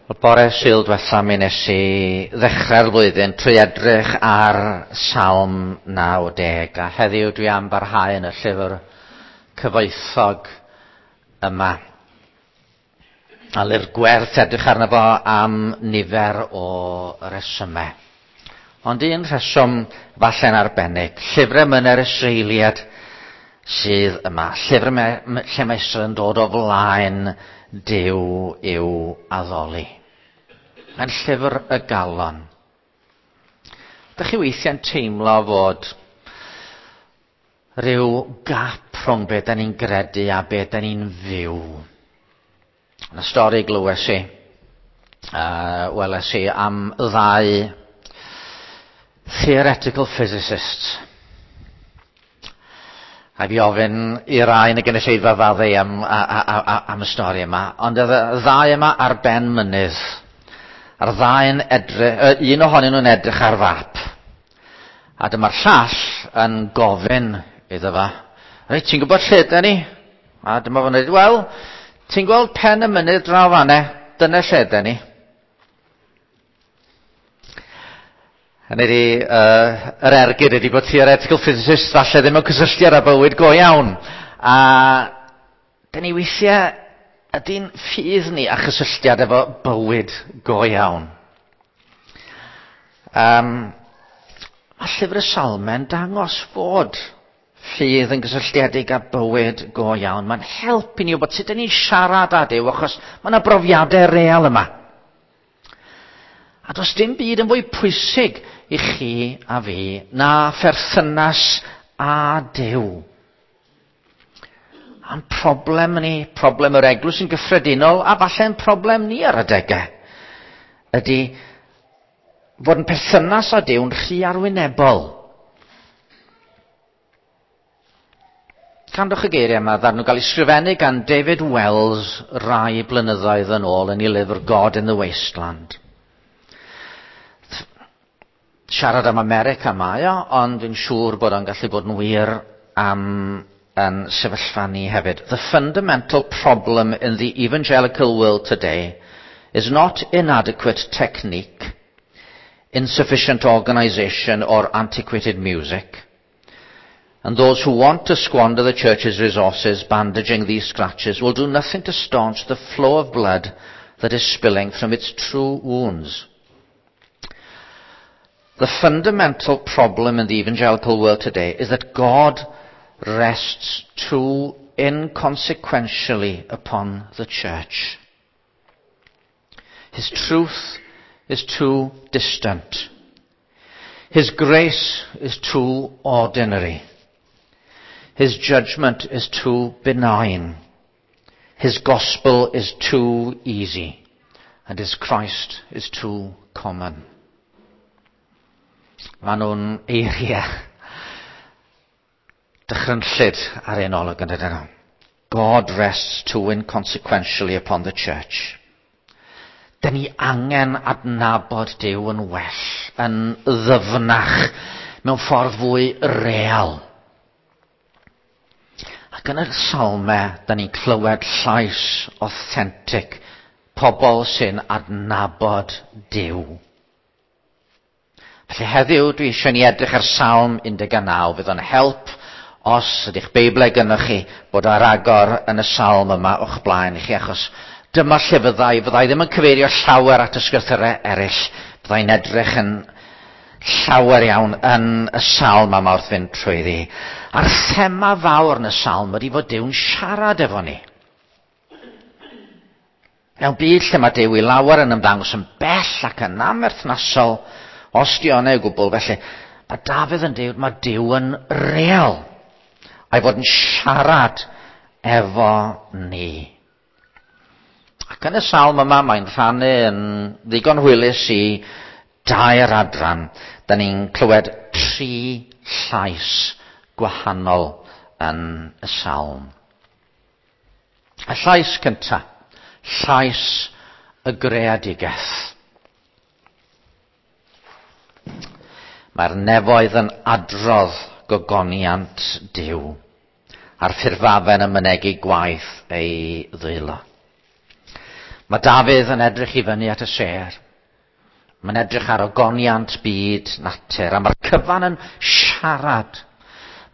Y bore Sul diwetha mi nes i ddechrau'r flwyddyn trwy edrych ar Salm 90 a heddiw dwi am barhau yn y llyfr cyfoethog yma. A lyfr gwerth edrych arno fo am nifer o resymau. Ond un rheswm falle'n arbennig, llyfrau myner Israeliad sydd yma. Llyfr lle mae Israel yn dod o flaen Duw i'w addoli. Mae'n llyfr y galon. Dych chi weithiau'n teimlo fod rhyw gap rhwng be da ni'n gredu a be da ni'n fyw? Yna stori glywes i, weles i am ddau theoretical physicists. A fi ofyn i rai yn y gynulleidfa faddau am, a, a, a, am y stori yma, ond oedd y ddau yma ar ben mynydd. A'r ddau'n edrych, un ohonyn nhw'n edrych ar fap. A dyma'r llall yn gofyn iddo fo, reit, ti'n gwybod lle ydyn ni? A dyma fo'n dweud, wel, ti'n gweld pen y mynydd draw fanne, dyna lle ydyn ni. Hynny ydi, uh, yr ergyd ydy bod theoretical physicists falle ddim yn cysylltiad â bywyd go iawn. A dyn ni weithiau ydy'n ffydd ni a chysylltiad efo bywyd go iawn. Um, mae llyfr y Salmau'n dangos fod ffydd yn gysylltiedig â bywyd go iawn. Mae'n helpu ni wybod sut ydyn ni'n siarad â Duw, achos mae yna brofiadau real yma. A does dim byd yn fwy pwysig i chi a fi na pherthynas â Duw. A'n problem ni, problem yr eglwys yn gyffredinol, a falle'n problem ni ar adegau, ydy fod yn perthynas â Duw'n rhy arwynebol. Candwch y geiriau yma, ddarn nhw gael ei sgrifennu gan David Wells rai blynyddoedd yn ôl yn ei lyfr God in the Wasteland. Siarad am America mae o, ond dwi'n siŵr bod o'n gallu bod yn wir am yn sefyllfa ni hefyd. The fundamental problem in the evangelical world today is not inadequate technique, insufficient organization or antiquated music. And those who want to squander the church's resources bandaging these scratches will do nothing to staunch the flow of blood that is spilling from its true wounds. The fundamental problem in the evangelical world today is that God rests too inconsequentially upon the church. His truth is too distant. His grace is too ordinary. His judgment is too benign. His gospel is too easy. And his Christ is too common. Maen nhw'n eiriau dychrynllyd ar ein olwg yn dydyn nhw. God rests too inconsequentially upon the church. Dyn ni angen adnabod Duw yn well, yn ddyfnach, mewn ffordd fwy real. Ac yn y salmau, da ni'n clywed llais authentic, pobl sy'n adnabod Duw. Felly heddiw dwi eisiau ni edrych ar Salm 19. Fydd o'n help os ydych Beiblau gynnwch chi bod ar agor yn y salm yma o'ch blaen i chi, achos dyma lle fyddai, fyddai ddim yn cyfeirio llawer at ysgrythurau eraill, fyddai'n edrych yn llawer iawn yn y salm yma wrth fynd trwyddi. A'r thema fawr yn y salm ydy fod Duw'n siarad efo ni. Mewn byd lle mae Duw i lawer yn ymddangos yn bell ac yn amherthnasol, os di o'n ei gwbl, felly mae Dafydd yn dweud mae Duw yn real, a'i fod yn siarad efo ni. Ac yn y salm yma mae'n rhannu yn ddigon hwylus i dair adran. Da ni'n clywed tri llais gwahanol yn y salm. Y llais cyntaf, llais y greadigaeth. Mae'r nefoedd yn adrodd gogoniant Duw, a'r ffurfafen yn mynegi gwaith ei ddwylo. Mae Dafydd yn edrych i fyny at y sêr. Mae'n edrych ar ogoniant byd natur, a mae'r cyfan yn siarad.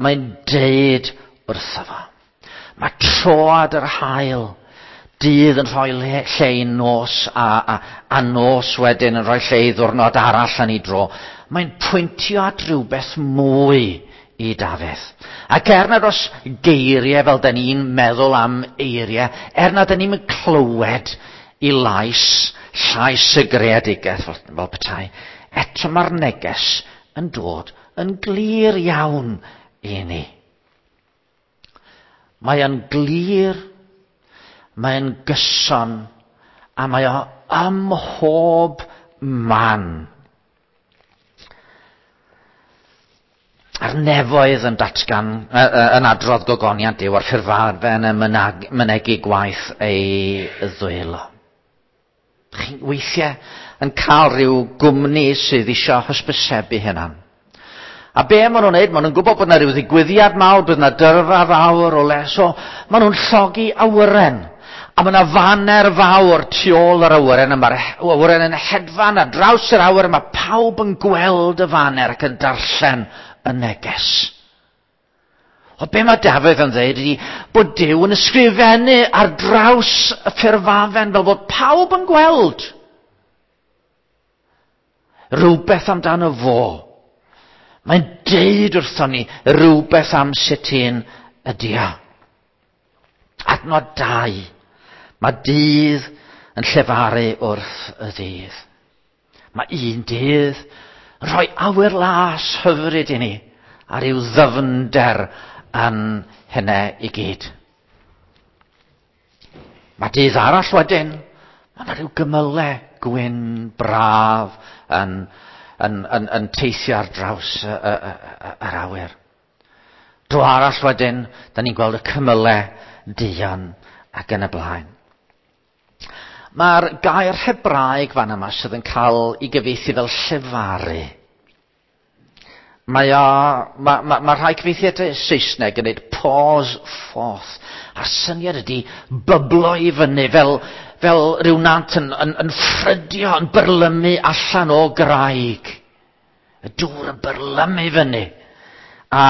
Mae'n deud wrtho fo. Mae troad yr haul, dydd yn rhoi lle i nos, a, a, a nos wedyn yn rhoi lle i ddwrnod arall yn ei dro. Mae'n pwyntio at rhywbeth mwy i Dafydd. Ac er nad oes geiriau fel da ni'n meddwl am eiriau, er nad da ni'n clywed i lais, llais y greadigaeth fel, fel petai, eto mae'r neges yn dod yn glir iawn i ni. Mae yn glir, mae'n gyson, a mae o ym mhob man. A'r nefoedd yn datgan, yn adrodd gogoniant Duw, a'r ffurfafen yn mynegi gwaith ei ddwylo. Chi'n weithiau yn cael rhyw gwmni sydd eisiau hysbysebu hynna'n. A be maen nhw'n neud, maen nhw'n gwybod bod yna rhyw ddigwyddiad mawr, bydd yna dyrfa fawr o le, so maen nhw'n llogi awyren. A mae yna faner fawr tu ôl yr awyren, a mae'r awyren yn hedfan ar draws yr awyr, a mae pawb yn gweld y faner ac yn darllen y neges. O be mae Dafydd yn dweud ydy bod Duw yn ysgrifennu ar draws y ffurfafen fel bod pawb yn gweld rhywbeth amdano fo. Mae'n deud wrthon ni rhywbeth am sut un ydy o. Adnod 2. Mae dydd yn llefaru wrth y ddydd. Mae un dydd yn rhoi awyr las hyfryd i ni a rhyw ddyfnder yn hynna i gyd. Mae dydd arall wedyn, mae yna rhyw gymylau gwyn braf yn, yn, yn, yn teithio ar draws y, y, y, yr awyr. Dro arall wedyn, da ni'n gweld y cymylau duon ac yn y blaen. Mae'r gair Hebraeg fan yma sydd yn cael ei gyfieithu fel llefaru. Mae o, mae, mae, mae rhai cyfieithiadau Saesneg yn dweud pause forth. A'r syniad ydy byblo i fyny fel, fel rhyw nant yn, yn, yn ffrydio, yn byrlymu allan o graig. Y dŵr yn byrlymu fyny. A,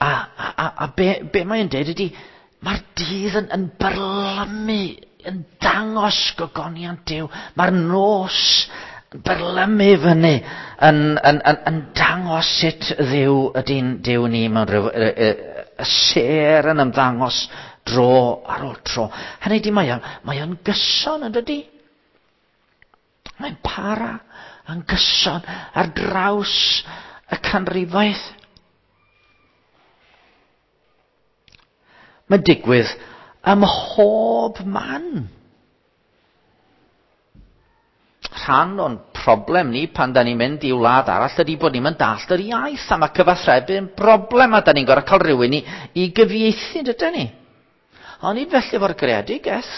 a, a, a, a be, be mae'n dweud ydy, mae'r dydd yn, yn byrlymu, yn dangos gogoniant Duw. Mae'r nos yn byrlymu fyny, yn, yn, yn, yn dangos sut Dduw ydy'n Duw ni mewn rhyw, y, y, y sêr yn ymddangos dro ar ôl tro. Hynny ydy, mae o'n, mae o'n gyson yn dydy? Mae'n para yn gyson ar draws y canrifoedd. Mae'n digwydd ym mhob man. Rhan o'n problem ni pan da ni'n mynd i wlad arall ydy bod ni'n mynd dallt yr iaith a mae cyfathrebu yn broblem a da ni'n gorfod cael rhywun i, i gyfieithu, dydyn ni? Ond nid felly efo'r greadigaeth.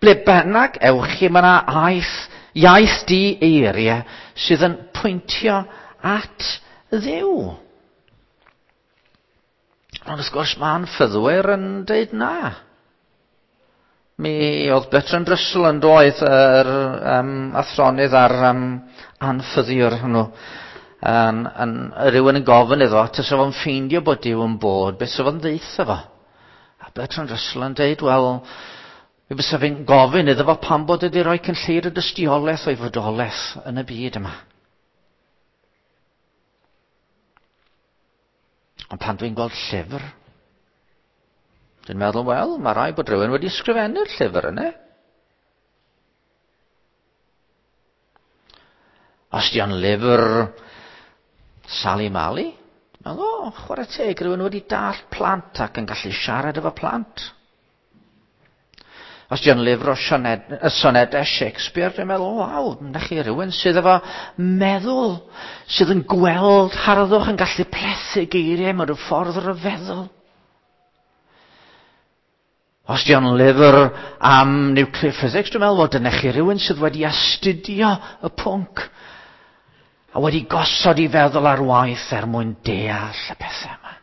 Ble bynnag ewch chi, mae yna aeth, iaith di eiriau sydd yn pwyntio at Dduw. Ond wrth gwrs mae'n ffyddwyr yn dweud na. Mi oedd Bertrand Russell yn doedd yr um, athronydd a'r um, anffyddiwr hwnnw. Yn, yn, rhywun yn gofyn iddo, tysa fo'n ffeindio bod Duw yn bod, beth sa fo'n ddeutha fo? A Bertrand Russell yn deud, wel, mi fysa fi'n gofyn iddo fo pam bod wedi rhoi cynlleir y dystiolaeth o'i fodolaeth yn y byd yma. Ond pan dwi'n gweld llyfr, dwi'n meddwl, wel, mae rai bod rhywun wedi ysgrifennu'r llyfr yna. Os di o'n lyfr Sally Mally, dwi'n meddwl, o, chwarae teg, rhywun wedi dall plant ac yn gallu siarad efo plant. Os di o'n lyfr o sioned, y sonedau Shakespeare, dwi'n meddwl, waw, na chi rhywun sydd efo meddwl, sydd yn gweld harddwch, yn gallu plethu geiriau mewn rhyw ffordd ryfeddol. Os di o'n lyfr am nuclear physics, dwi'n meddwl, wel, dyna chi rhywun sydd wedi astudio y pwnc a wedi gosod i feddwl ar waith er mwyn deall y pethau yma.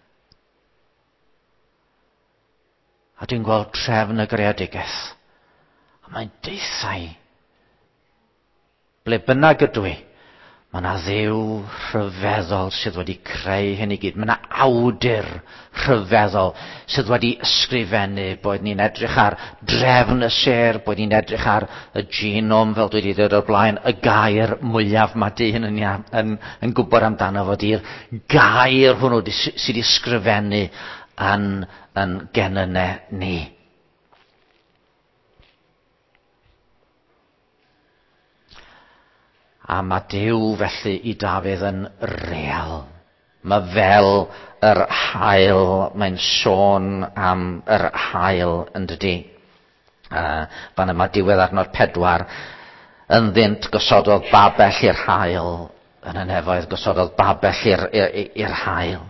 A dwi'n gweld trefn y greadigaeth. A mae'n deithau. Ble bynnag ydw i, mae yna ddew rhyfeddol sydd wedi creu hyn i gyd. Mae yna awdur rhyfeddol sydd wedi ysgrifennu, boed ni'n edrych ar drefn y sêr, boed ni'n edrych ar y genome, fel dwi wedi dweud o'r blaen, y gair mwyaf mae dyn yn, yn, yn gwybod amdano fo di'r gair hwnnw sydd wedi ysgrifennu yn, yn genynnau ni. A mae Duw felly i Dafydd yn real. Mae fel yr hael, mae'n sôn am yr hael yn dydy. Fan yma diwedd adnod 4, ynddynt gosododd babell i'r hael, yn y nefoedd gosododd babell i'r hael,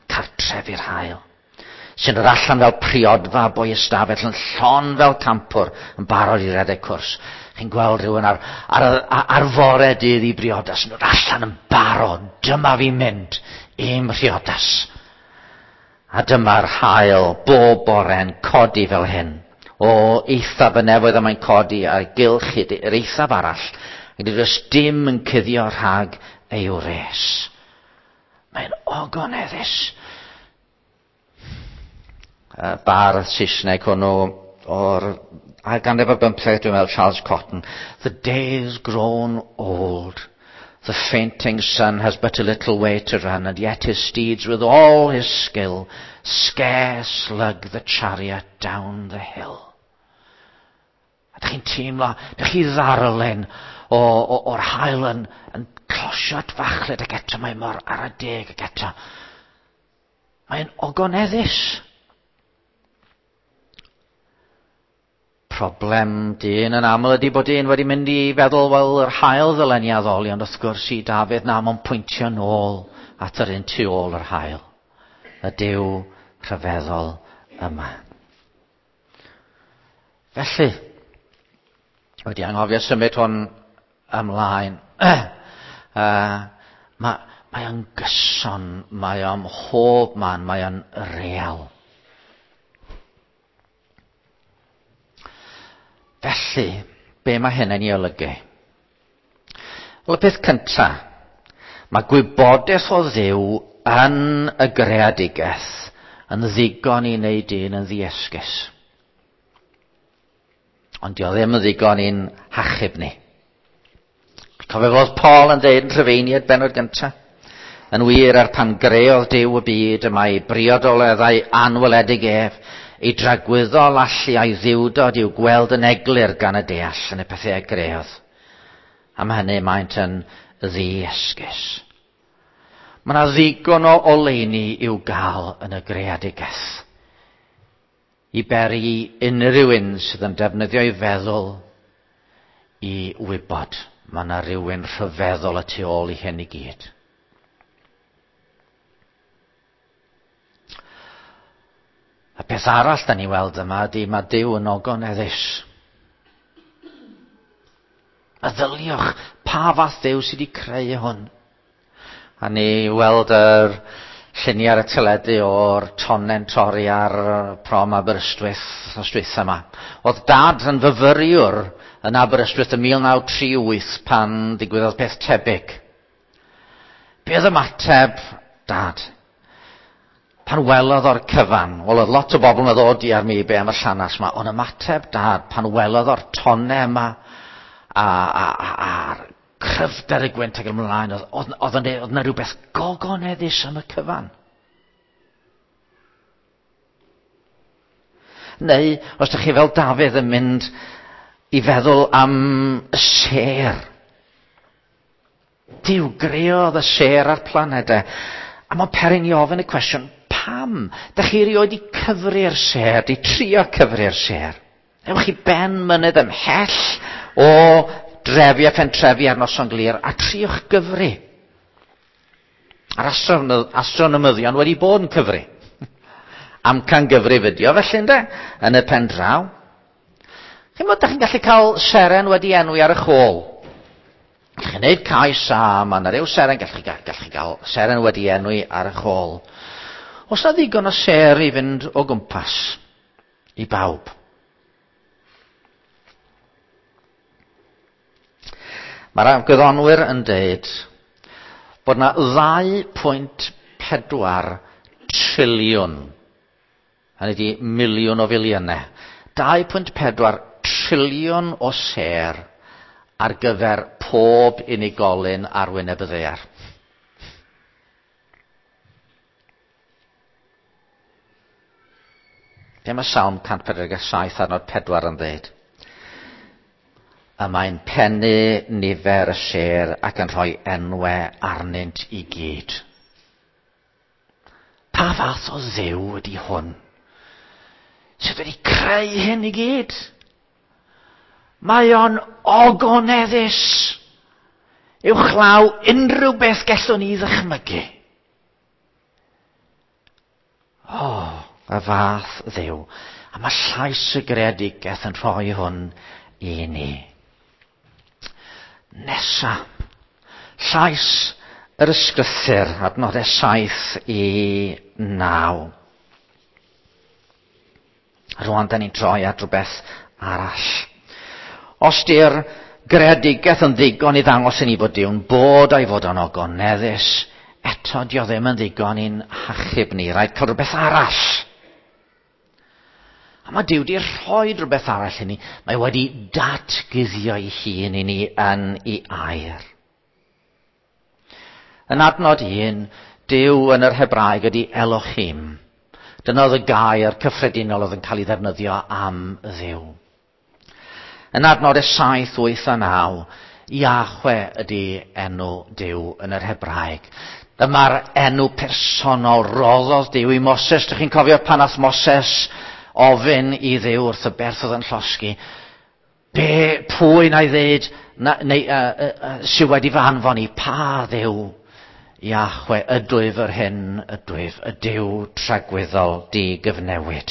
cartref i'r hael. Sy'n dod allan fel priodfa boi ystafell yn llon fel campwr yn barod i redeg cwrs. Chi'n gweld rhywun ar, ar, ar fore dydd i briodas yn dod allan yn barod. Dyma fi'n mynd i'm mhriodas. A dyma'r hael bob bore'n codi fel hyn. O eithaf y nefoedd y mae'n codi a gylch i'r eithaf arall. Ac nid oes dim yn cuddio rhag ei wres. Mae'n ogoneddus. Bardd Saesneg hwnnw o'r ail ganrif ar bymtheg, dwi'n meddwl, Charles Cotton. The day's grown old. The fainting sun has but a little way to run, and yet his steeds, with all his skill, scarce lug the chariot down the hill. A dych chi'n teimlo, dych chi ddarllen o, o, o'r hael yn, yn closio at fachlud ac eto mae mor ar y deg ac eto. Mae'n ogoneddus. Problem dyn yn aml ydy bod dyn wedi mynd i feddwl, wel, yr hael ddylen ni addoli, ond wrth gwrs i Dafydd na, mae'n pwyntio nôl at yr un tu ôl yr hael. Y Duw rhyfeddol yma. Felly, wedi anghofio symud hwn ymlaen. Mae, mae o'n gyson, mae o'n mhob man, mae o'n real. Felly, be mae hyn yn ei olygu? Wel, y peth cyntaf, mae gwybodaeth o Dduw yn y greadigaeth yn ddigon i wneud dyn yn ddiesgus. Ond dio ddim yn ddigon i'n hachub ni. Cofio fod Paul yn dweud yn Rhyfeiniad benod gyntaf? Yn wir, er pan greodd Duw y byd, y mae briodoleddau anweledig ef, ei dragwyddol allu a'i ddiwdod i'w gweld yn eglur gan y deall yn y pethau a greodd. Am hynny maent yn ddiesgus. Mae yna ddigon o oleuni i'w gael yn y greadigaeth. I beri unrhyw un sydd yn defnyddio ei feddwl i wybod mae yna rhywun rhyfeddol y tu ôl i hyn i gyd. Y peth arall da ni weld yma ydy mae Duw yn ogoneddus. Meddyliwch pa fath Dduw sydd wedi creu hwn. A ni weld yr lluniau ar y teledu o'r tonnen torri ar prom Aberystwyth nos dwytha yma. Oedd dad yn fyfyriwr yn Aberystwyth yn 1938 pan ddigwyddodd peth tebyg. Be oedd ymateb dad? Pan welodd o'r cyfan, wel oedd lot o bobl yn ddod i ar mi be am y llanas yma, ond ymateb dad pan welodd o'r tonne yma a, a, a, a'r cryfder y gwynt ac ymlaen, oedd, oedd, oedd, oedd yna rhywbeth gogoneddus am y cyfan. Neu, os ydych chi fel Dafydd yn mynd i feddwl am y sêr. Duw greodd y sêr a'r planedau. A mae'n perin i ofyn y cwestiwn, pam? Dych chi erioed i cyfri'r sêr, di trio cyfri'r sêr? Ewch i ben mynydd ymhell o drefi a phentrefi ar noson glir a triwch gyfri. A'r astronomyddion wedi bod yn cyfri. Amcan gyfrif ydi o felly ynde, yn y pen draw. Chi'n bod, da chi'n gallu cael seren wedi enwi ar y chôl. Gallwch chi wneud cais a mae yna ryw seren, gallwch chi, gallwch chi gael seren wedi enwi ar y chôl. Os na ddigon o ser i fynd o gwmpas i bawb. Mae'r gwyddonwyr yn deud bod yna 2.4 triliwn, hynny ydi miliwn o filiynau, 2.4 triliwn o sêr ar gyfer pob unigolyn ar wyneb y ddaear. Be mae Salm 147 adnod 4 yn dweud? Y mae'n pennu nifer y sêr ac yn rhoi enwau arnynt i gyd. Pa fath o Dduw ydy hwn? Sydd wedi creu hyn i gyd? Mae o'n ogoneddus uwchlaw unrhyw beth gallwn ni ddychmygu. O, y fath Dduw. A mae llais y greadigaeth yn rhoi hwn i ni. Nesa, llais yr ysgrythur, adnodau 7 i 9. Rwan, da ni'n troi at rhywbeth arall. Os di'r greadigaeth yn ddigon i ddangos i ni fod Duw'n bod a'i fod o'n ogoneddus, eto dio ddim yn ddigon i'n hachub ni. Rhaid cael rhywbeth arall. A mae Duw wedi rhoi rhywbeth arall i ni. Mae wedi datguddio ei hun i ni yn ei air. Yn adnod 1, Duw yn yr Hebraeg ydy Elohim. Dyna oedd y gair cyffredinol oedd yn cael ei ddefnyddio am Dduw. Yn adnod 7, 8 a 9, Iahwe ydy enw Duw yn yr Hebraeg. Dyma'r enw personol roddodd Duw i Moses. Dych chi'n cofio pan ath Moses ofyn i Dduw wrth y berth oedd yn llosgi, be, pwy na i ddeud, na, neu, sydd wedi fy anfon i, pa Dduw? Iahwe, ydwyf yr hyn ydwyf, y Duw tragwyddol di-gyfnewid.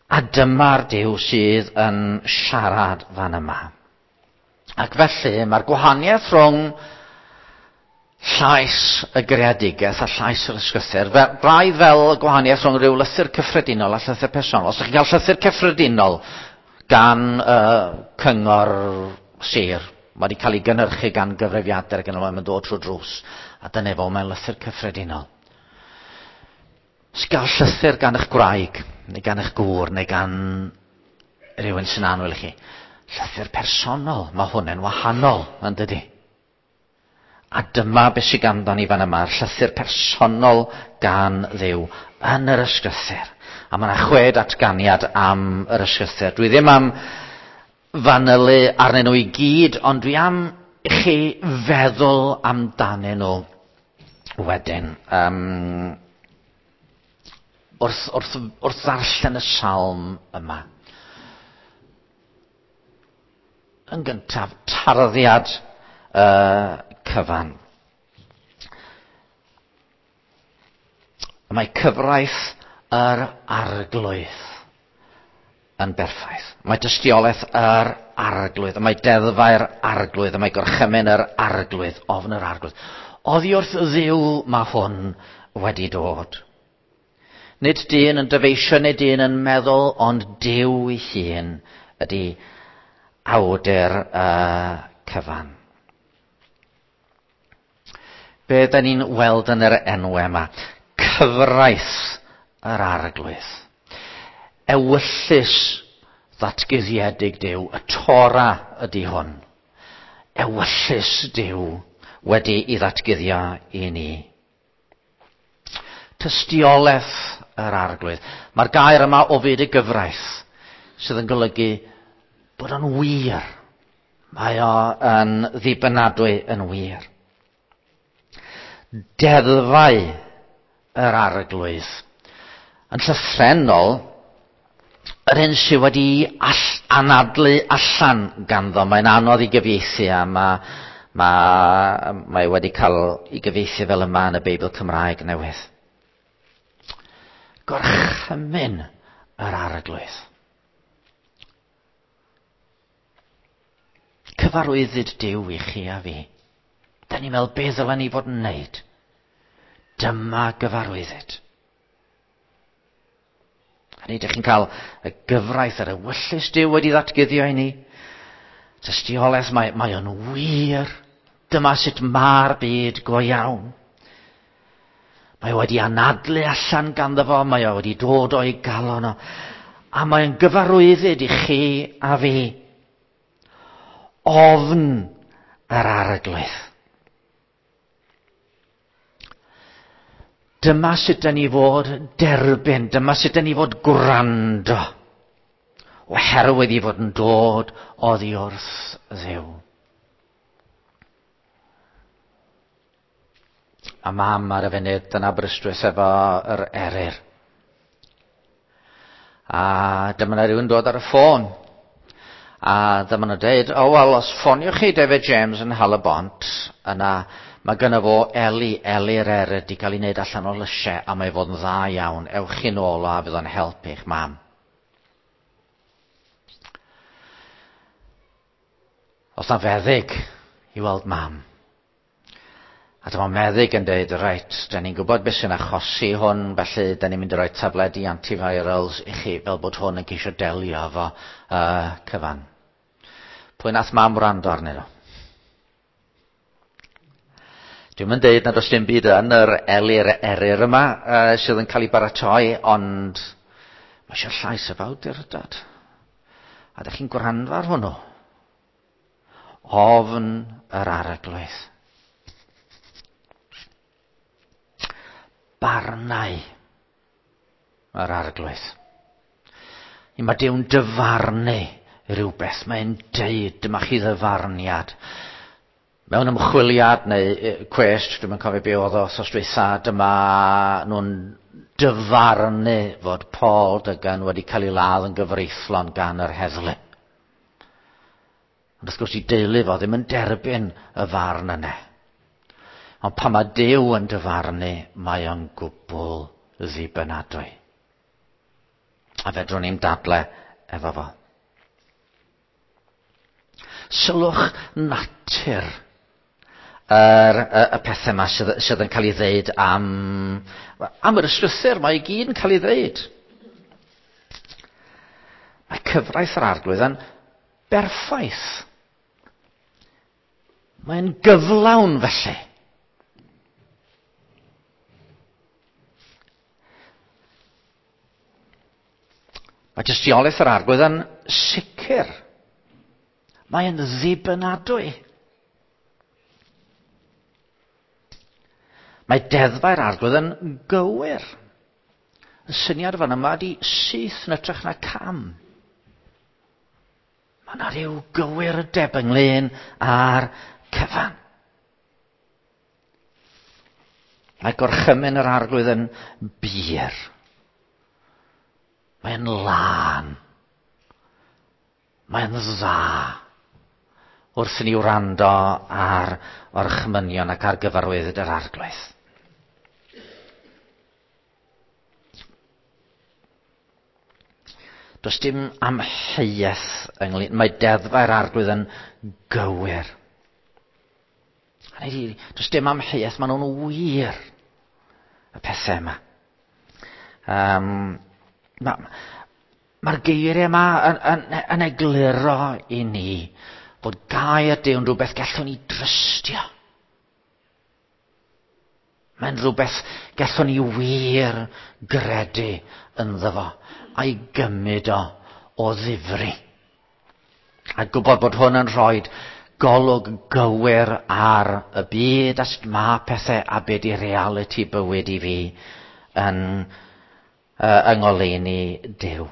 A dyma'r Duw sydd yn siarad fan yma. Ac felly mae'r gwahaniaeth rhwng llais y greadigaeth a llais yr ysgrythur, braidd fel y gwahaniaeth rhwng rhyw lythyr cyffredinol a llythyr personol. Os ydych chi'n cael llythyr cyffredinol gan cyngor sir, mae wedi cael ei gynhyrchu gan gyfrifiadur ac yn y mae'n dod trwy drws, a dyna fo, mae'n lythyr cyffredinol. Os gael llythyr gan eich gwraig, neu gan eich gŵr, neu gan rhywun sy'n annwyl i chi, llythyr personol, mae hwn yn wahanol, yn dydy? A dyma beth sydd ganddo ni fan yma, llythyr personol gan Dduw yn yr ysgrythur. A mae yna 6 datganiad am yr ysgrythur. Dwi ddim am fanylu arnyn nhw i gyd, ond dwi am i chi feddwl amdanyn nhw wedyn. Wrth ddarllen y salm yma. Yn gyntaf, tarddiad cyfan. Mae cyfraith yr Arglwydd yn berffaith. Mae dystiolaeth yr Arglwydd, mae deddfau'r Arglwydd, mae gorchymyn yr Arglwydd, ofn yr Arglwydd. Oddi wrth Dduw mae hwn wedi dod. Nid dyn yn dyfeisio, nid dyn yn meddwl, ond Duw ei hun ydy awdur y cyfan. Be da ni'n weld yn yr enw yma? Cyfraith yr Arglwydd. Ewyllys ddatguddiedig Duw, y Tora ydy hwn. Ewyllys Duw wedi i ddatguddio i ni. Tystiolaeth yr Arglwydd. Mae'r gair yma o fyd y gyfraith sydd yn golygu bod o'n wir. Mae o yn ddibynadwy yn wir. Deddfau yr Arglwydd. Yn llythrennol, yr hyn sydd wedi anadlu allan ganddo, mae'n anodd i gyfieithu a mae wedi cael ei gyfieithu fel yma yn y Beibl Cymraeg newydd. Gorchymyn yr Arglwydd. Cyfarwyddyd Duw i chi a fi. Da ni'n meddwl beth ddylen ni fod yn wneud. Dyma gyfarwyddyd. Hynny, ydych chi'n cael y gyfraith yr ewyllys Duw wedi ddatguddio i ni. Tystiolaeth, mae, mae o'n wir. Dyma sut mae'r byd go iawn. Mae wedi anadlu allan ganddo fo, mae o wedi dod o'i galon o. A mae'n gyfarwyddyd i chi a fi. Ofn yr arglwydd. Dyma sut da ni fod derbyn, dyma sut da ni fod gwrando, oherwydd i fod yn dod oddi wrth Dduw. A mam ar y funud yn Aberystwyth efo yr eryr. A dyma na rhywun dod ar y ffôn. A dyma nhw'n dweud, o oh, wel, os ffoniwch chi David James yn Halabont, yna mae gynno fo eli, eli'r eryr di cael ei wneud allan o lysiau a mae fod yn dda iawn. Ewch chi'n ôl o a fydd o'n helpu eich mam. Os na feddyg i weld mam. A dyma meddyg yn dweud, reit, da ni'n gwybod beth sy'n achosi hwn, felly da ni'n mynd i roi tabledi antivirals i chi fel bod hwn yn ceisio delio efo uh, cyfan. Pwy nath mam wrando arnyn nhw? Dwi'm yn deud nad oes dim byd yn yr elir eryr yma uh, sydd yn cael ei baratoi, ond mae eisiau llais y awdurdod. A ydych chi'n gwrando ar hwnnw? Ofn yr arglwydd. Barnau yr arglwydd. I mae Dyw'n dyfarnu rhywbeth. Mae'n deud, dyma chi ddyfarniad. Mewn ymchwiliad neu cwest, dwi'm yn cofio be oedd o wrthos dwytha, dyma nhw'n dyfarnu fod Paul Duggan wedi cael ei ladd yn gyfreithlon gan yr heddlu. Ond wrth gwrs i deulu fo ddim yn derbyn y farn yna. Ond pan mae Duw yn dyfarnu, mae o'n gwbl ddibynadwy. A fedrwn ni'n dadle efo fo. Sylwch natur yr, y, y pethau yma sydd, sydd yn cael ei ddeud am, am yr ysgrythur, mae i gyd yn cael ei ddeud. Mae cyfraith yr arglwydd yn berffaith. Mae'n gyflawn felly. Mae tystiolaeth yr arglwydd yn sicr. Mae'n ddibynadwy. Mae deddfau'r arglwydd yn gywir. Y syniad fan yma ydy syth yn ytrach na cam. Mae yna rhyw gywirdeb ynglyn â'r cyfan. Mae gorchymyn yr arglwydd yn bur. Mae'n lân. Mae'n dda. Wrth i ni wrando ar orchmynion ac ar gyfarwyddyd yr arglwydd. Does dim amheuaeth ynglyn... Mae deddfau'r arglwydd yn gywir. Hynny ydi, does dim amheuaeth, maen nhw'n wir y pethau yma. Um, Mae'r ma geiriau yma yn, yn, yn egluro i ni bod gair Duw yn rhywbeth gallwn ni drystio. Mae'n rhywbeth gallwn ni wir gredu ynddo fo a'i gymryd o o ddifri. A gwybod bod hwn yn rhoi golwg gywir ar y byd a sut mae pethau a be di realiti bywyd i fi yn, uh, yng ngoleuni Duw.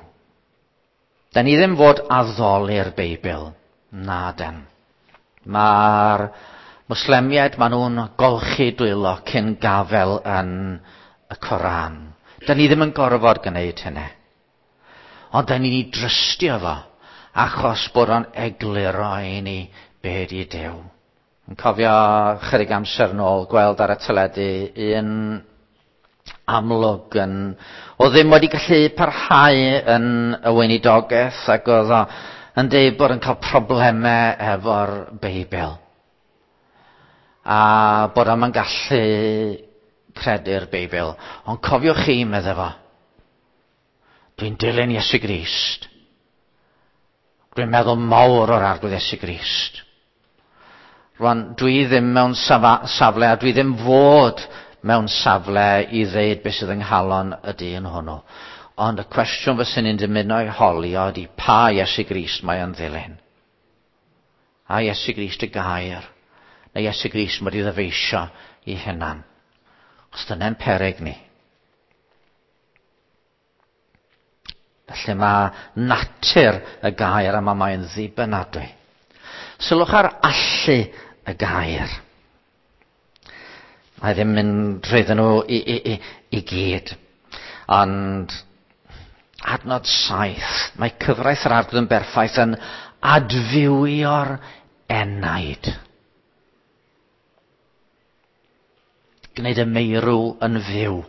Da ni ddim fod addoli'r Beibl, na den. Mae'r Mwslemiaid, maen nhw'n golchi dwylo cyn gafel yn y Coran. Da ni ddim yn gorfod gwneud hynny. Ond da ni'n ei drystio fo, achos bod o'n egluro i ni be di Duw. Yn cofio chydig amser nôl gweld ar y teledu un amlwg yn... O ddim wedi gallu parhau yn y weinidogaeth ac oedd o yn deud bod yn cael problemau efo'r Beibl. A bod o'm yn gallu credu'r Beibl. Ond cofiwch chi, medde fo, dwi'n dilyn Iesu Grist. Dwi'n meddwl mawr o'r Arglwydd Iesu Grist. Rwan, dwi ddim mewn safle, a dwi ddim fod mewn safle i ddeud beth sydd yng nghalon y dyn hwnnw. Ond y cwestiwn fyswn i'n dymuno ei holi o ydy pa Iesu Grist mae o'n ddilyn? A Iesu Grist y gair, neu Iesu Grist mae wedi ddyfeisio i hunan. Os dyna'n peryg ni. Felly mae natur y gair yma mae'n ddibynadwy. Sylwch ar allu y gair. Mae ddim mynd trwyddyn nhw i, i, i, i gyd. Ond adnod 7, mae cyfraith yr Arglwydd yn berffaith yn adfywio'r enaid. Gwneud y meirw yn fyw.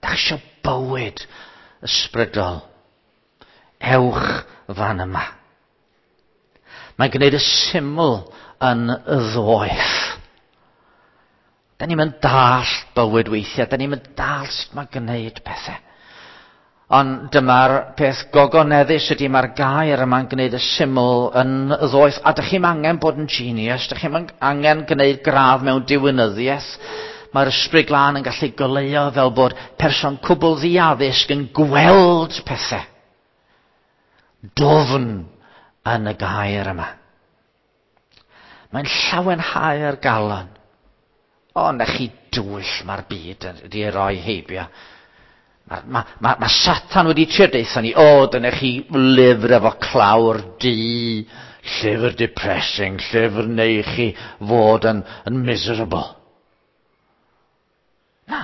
Dach eisiau bywyd ysbrydol. Ewch fan yma. Mae'n gwneud y syml yn y ddoeth. Da ni'n mynd dall bywyd weithiau, da ni'n mynd dall sut mae gwneud pethau. Ond dyma'r peth gogoneddus ydy mae'r gair yma'n gwneud y syml yn y ddoeth. A dych chi'm angen bod yn genius, dych chi'm angen gwneud gradd mewn diwinyddiaeth. Mae'r Ysbryd Glân yn gallu goleuo fel bod person cwbl ddiaddysg yn gweld pethau dwfn yn y gair yma. Mae'n llawenhau'r galon. O, na chi dwyll mae'r byd wedi ei roi heibio. Mae ma, ma, ma Satan wedi trio deutha ni, o, dyna chi lyfr efo clawr du, llyfr depressing, llyfr neu chi fod yn, yn miserable. Na,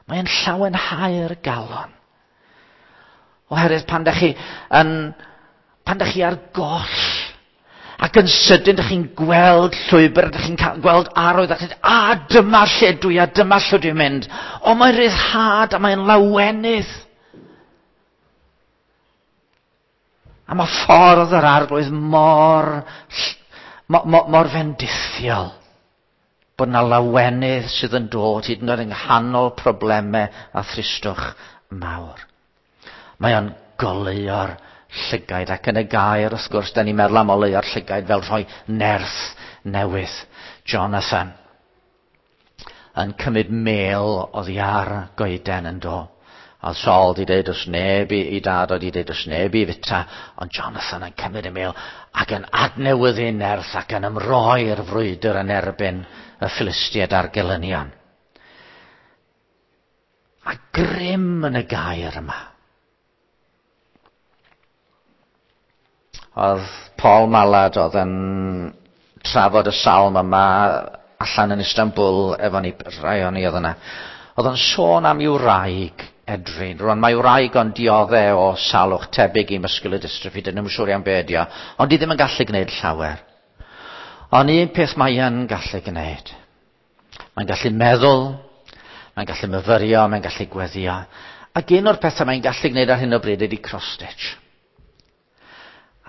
mae'n llawenhau'r galon. Oherwydd pan da chi yn, pan da chi ar goll, ac yn sydyn da chi'n gweld llwybr, da chi'n gweld arwydd, ac chi'n a dyma lle dwi, a dyma lle dwi'n mynd. O, mae'n rhyddhad, a mae'n lawenydd. A mae ffordd yr Arglwydd mor, mor, mor fendithiol. Bod 'na lawenydd sydd yn dod hyd yn oed yng nghanol problemau a thristwch mawr. Mae o'n goleuo'r llygaid, ac yn y gair, wrth gwrs, da ni'n meddwl am oleuo'r llygaid fel rhoi nerth newydd. Jonathan yn cymryd mêl oddi ar goeden yn do. A Saul di deud os neb i, i dad oedd di deud os neb i fita, ond Jonathan yn cymryd y mêl ac yn adnewyddu nerth ac yn ymroi i'r frwydr yn erbyn y Philistiaid a'r gelynion. A grym yn y gair yma. Oedd Paul Mallard oedd yn trafod y salm yma allan yn Istanbul efo ni, rhai o'n ni oedd yna. Oedd o'n sôn am i'w wraig Edrin. Rwan mae wraig o'n diodde o salwch tebyg i muscular dystrophy, dyn nhw'n siŵr iawn be ydi o, ond di ddim yn gallu gwneud llawer. Ond un peth mae yn gallu gwneud. Mae'n gallu meddwl, mae'n gallu myfyrio, mae'n gallu gweddio. Ac un o'r pethau mae'n gallu gwneud ar hyn o bryd ydy cross-stitch.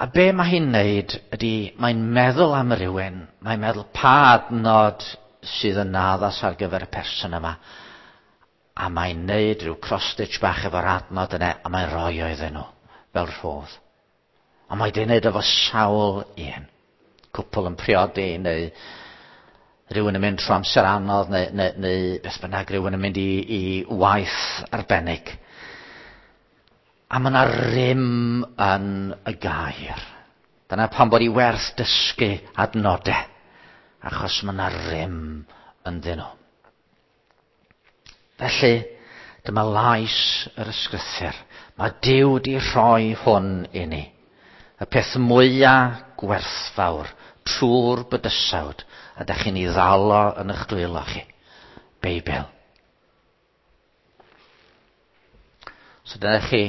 A be mae hi'n wneud ydy, mae'n meddwl am rywun, mae'n meddwl pa adnod sydd yn addas ar gyfer y person yma. A mae'n wneud rhyw cross-stitch bach efo'r adnod yna, a mae'n rhoi o iddyn nhw, fel rhodd. A mae di wneud efo sawl un. Cwpl yn priodi, neu rhywun yn mynd trwy amser anodd, neu, neu, neu beth bynnag, rhywun yn mynd i, i waith arbennig. A mae yna rym yn y gair. Dyna pam bod i werth dysgu adnodau, achos mae yna rym ynddyn nhw. Felly, dyma lais yr ysgrythur. Mae Duw wedi rhoi hwn i ni. Y peth mwyaf gwerthfawr trwy'r bydysawd, a da chi'n ei ddal o yn eich dwylo chi. Beibl. So dyna chi.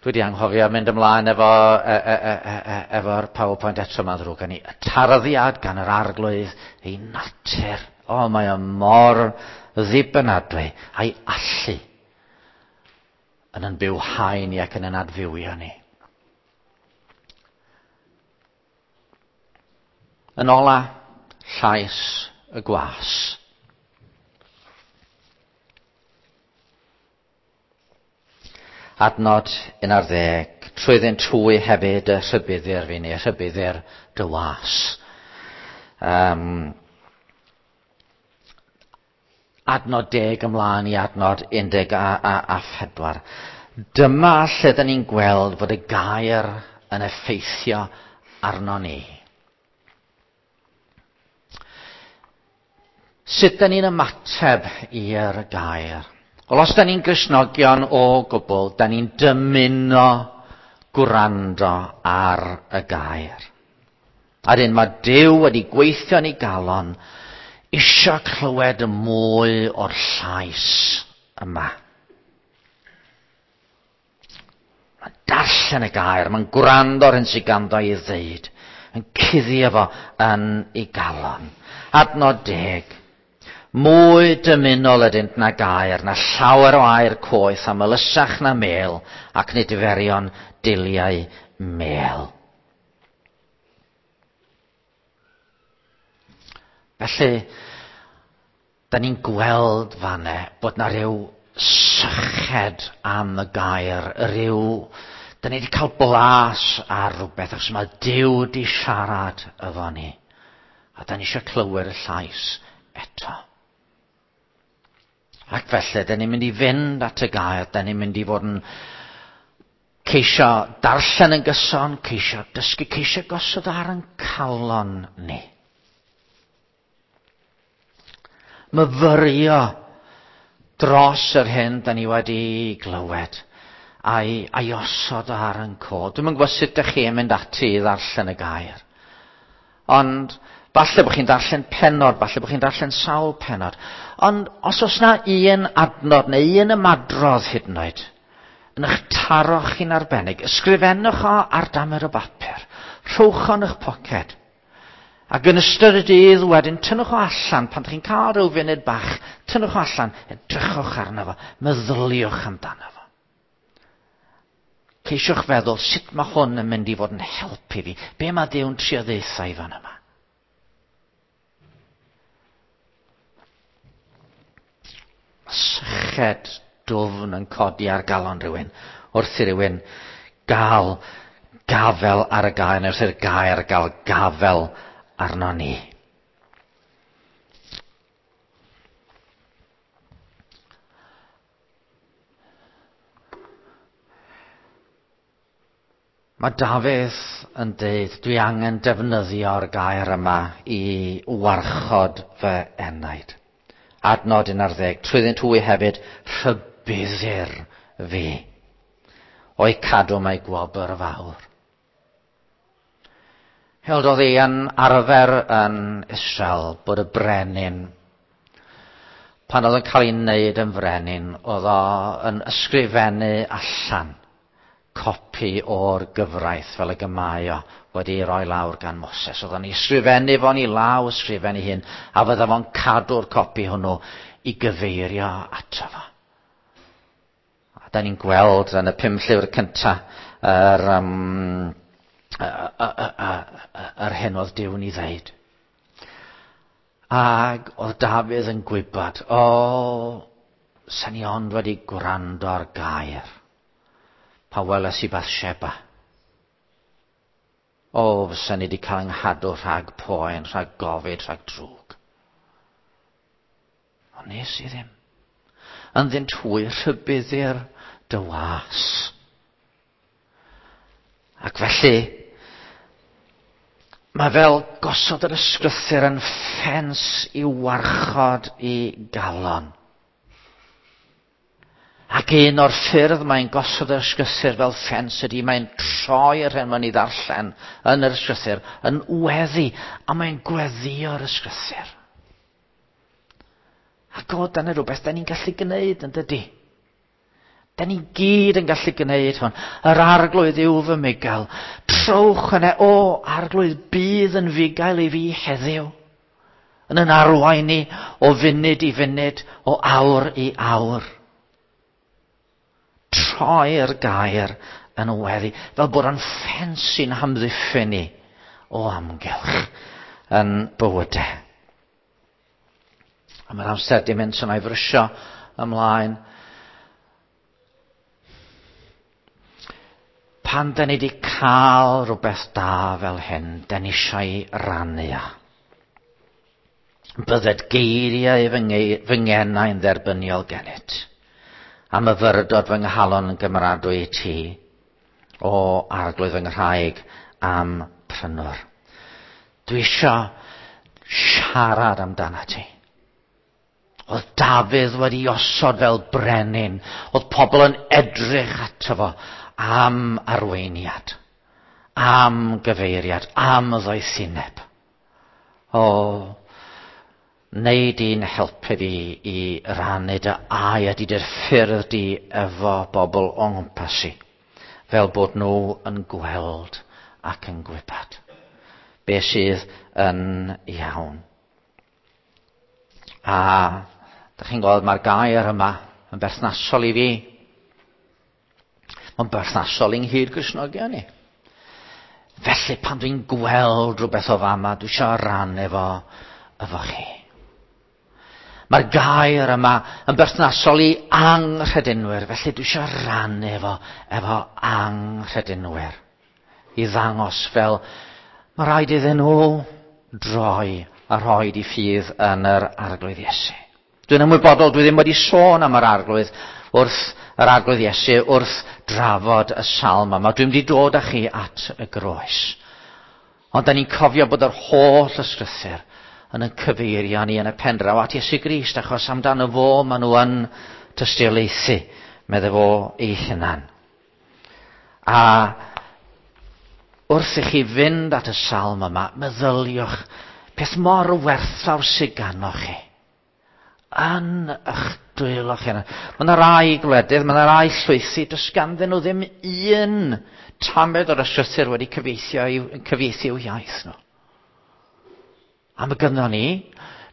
Dwi wedi anghofio mynd ymlaen efo, e, e, e, e, e, efo'r PowerPoint eto, mae'n ddrwg gen i. Y tarddiad gan yr Arglwydd, ei natur. O, mae o mor ddibynadwy a'i allu yn yn bywhau ni ac yn yn adfywio ni. Yn ola, llais y gwas. Adnod 11. Trwyddynt hwy hefyd y rhybuddir fi neu rhybuddir dy was. Adnod 10 ymlaen i adnod 14. Dyma lle dyn ni'n gweld fod y gair yn effeithio arno ni. Sut dyn ni'n ymateb i'r gair? Wel, os dyn ni'n Gristnogion o gwbl, dyn ni'n dymuno gwrando ar y gair. A dyn mae Duw wedi gweithio yn ei galon isio clywed mwy o'r llais yma. Mae'n darllen y gair, mae'n gwrando ar hyn sydd ganddo i ddeud, yn cuddio fo yn ei galon. Adnod 10. Mwy dymunol ydynt na gair, na llawer o air coeth, a melysach na mel, ac nid ferion diliau mel. Felly, da ni'n gweld fanne bod na ryw syched am y gair, rhyw... Da ni wedi cael blas ar rhywbeth, achos mae Duw wedi siarad efo ni. A da ni eisiau clywed y llais eto. Ac felly, da ni'n mynd i fynd at y gair, da ni'n mynd i fod yn ceisio darllen yn gyson, ceisio dysgu, ceisio gosod ar yn calon ni. Myfyrio dros yr hyn da ni wedi glywed a'i osod ar yn cod. Dwi'm yn gwybod sut ydych chi yn mynd ati i ddarllen y gair. Ond falle bod chi'n darllen pennod, falle bod chi'n darllen sawl pennod. Ond os oes na un adnod neu un ymadrodd hyd yn oed, yn eich taro chi'n arbennig, ysgrifennwch o ar damer o bapur, rhowch o yn eich poced. Ac yn ystod y dydd wedyn, tynnwch o allan, pan ydych chi'n cael rhyw funud bach, tynnwch o allan, edrychwch arno fo, meddyliwch amdano fo. Ceisiwch feddwl sut mae hwn yn mynd i fod yn helpu fi. Be mae Duw'n trio ddeutha i fan yma? Mae syched dwfn yn codi ar galon rhywun wrth i rywun gael gafel ar y gair, neu wrth i'r gair gael gafel arno ni. Mae Dafydd yn deud, dwi angen defnyddio'r gair yma i warchod fy enaid. Adnod 11, trwyddynt hwy hefyd rhybuddir fi. O'i cadw mae gwobr fawr. Held oedd hi yn arfer yn Israel bod y brenin, pan oedd yn cael ei wneud yn frenin, oedd o yn ysgrifennu allan copi o'r gyfraith fel y gymau o wedi ei roi lawr gan Moses. Oedd o'n ei ysgrifennu fo'n ei law ysgrifennu hyn, a fydda fo'n cadw'r copi hwnnw i gyfeirio ato fo. A da ni'n gweld yn y 5 llyfr cynta yr hyn oedd Duw'n ei ddeud. Ac oedd Dafydd yn gwybod, o, sa'n i ond wedi gwrando ar gair pan weles i Bathsheba. O, fysa ni wedi cael 'nghadw rhag poen, rhag gofid, rhag drwg. Ond nes i ddim. Ynddynt hwy rhybuddir dy was. Ac felly, mae fel gosod yr ysgrythur yn ffens i warchod i galon. Ac un o'r ffyrdd mae'n gosod yr ysgrythur fel ffens ydy mae'n troi yr hyn mae'n ei ddarllen yn yr ysgrythur yn weddi, a mae'n gweddïo'r ysgrythur. Ac o, dyna rhywbeth da ni'n gallu gwneud yn dydy. Da ni gyd yn gallu gwneud hwn. Yr arglwydd yw fy mugail. Trowch yna, o, arglwydd, bydd yn fugail i fi heddiw. Yn yn arwain ni o funud i funud, o awr i awr. Troi'r gair yn weddi, fel bod o'n ffens sy'n hamddiffyn ni o amgylch yn bywydau. A mae'r amser di mynd, so na i frysio ymlaen. Pan da ni wedi cael rhywbeth da fel hyn, da ni eisiau rannu a. Bydded geiriau fy ngenau'n dderbyniol gennyt, a myfyrdod fy nghalon yn gymeradwy i ti, o arglwydd fy nghraig am prynwr. Dwi eisiau siarad amdana ti. Oedd Dafydd wedi osod fel brenin. Oedd pobl yn edrych ato fo am arweiniad, am gyfeiriad, am ddoethineb. O, neu di'n helpu fi i rannu dy air di dy'r ffyrdd di efo bobl o nghwmpas i, fel bod nhw yn gweld ac yn gwybod be sydd yn iawn. A da chi'n gweld mae'r gair yma yn berthnasol i fi. Mae'n berthnasol i'n hyd Gristnogion ni. Felly pan dwi'n gweld rhywbeth o fama, dwi eisiau ran efo, efo chi. Mae'r gair yma yn berthnasol i anghredinwyr, felly dwi eisiau rannu efo, efo anghredinwyr. I ddangos fel mae rhaid iddyn nhw droi a rhoi di ffydd yn yr Arglwydd Iesu. Dwi'n ymwybodol, dwi ddim wedi sôn am yr Arglwydd wrth yr Arglwydd Iesu wrth drafod y salm yma. Dwi'n wedi dod â chi at y groes. Ond da ni'n cofio bod yr holl ysgrythur yn yn cyfeirio ni yn y pendraw at Iesu Grist, achos amdano fo maen nhw yn tystiolaethu, medde fo ei hunan. A wrth i chi fynd at y salm yma, meddyliwch peth mor werthfawr sydd ganoch chi. Yn eich dwylo chi. Mae yna rai gwledydd, mae yna rai llwythi, does ganddyn nhw ddim un tamed o'r ysgrythur wedi cyfieithu i'w iaith nhw. A mae gynnon ni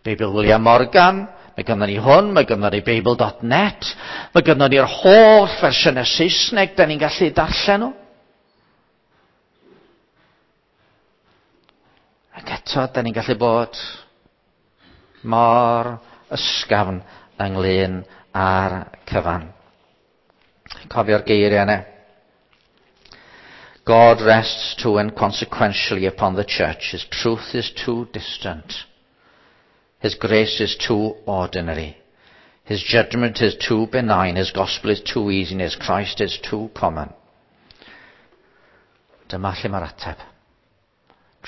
Beibl William Morgan, mae gynnon ni hwn, mae gynnon ni Beibl.net, mae gynnon ni'r holl fersiynau Saesneg da ni'n gallu darllen nhw. Ac eto, da ni'n gallu bod mor ysgafn ynglyn â'r cyfan. Cofio'r geiriau yna. God rests too inconsequentially upon the church. His truth is too distant. His grace is too ordinary. His judgment is too benign. His gospel is too easy. And his Christ is too common. Dyma lle mae'r ateb.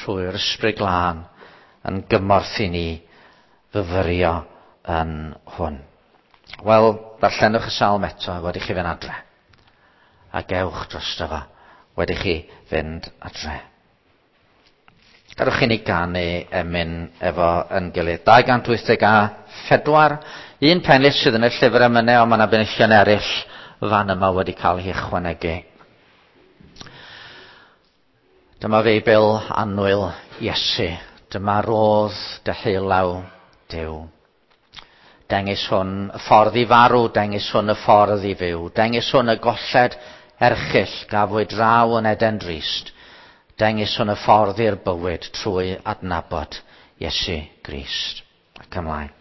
Trwy'r ysbryd glân yn gymorth i ni fyfyrio yn hwn. Wel, darllenwch y salm eto wedi chi fynd adre. A gewch drosto fo wedi chi fynd adre. Gadwch i ni ganu emyn efo yn gilydd. 284, un pennill sydd yn y llyfr emynau, ond mae yna benillion eraill fan yma wedi cael eu hychwanegu. Dyma Feibl annwyl Iesu. Dyma rodd deheulaw Duw. Dengys hwn y ffordd i farw, dengys hwn y ffordd i fyw. Dengys hwn y golled erchyll gafwyd draw yn Eden drist. Dengys hwn y ffordd i'r bywyd trwy adnabod Iesu Grist. Ac ymlaen.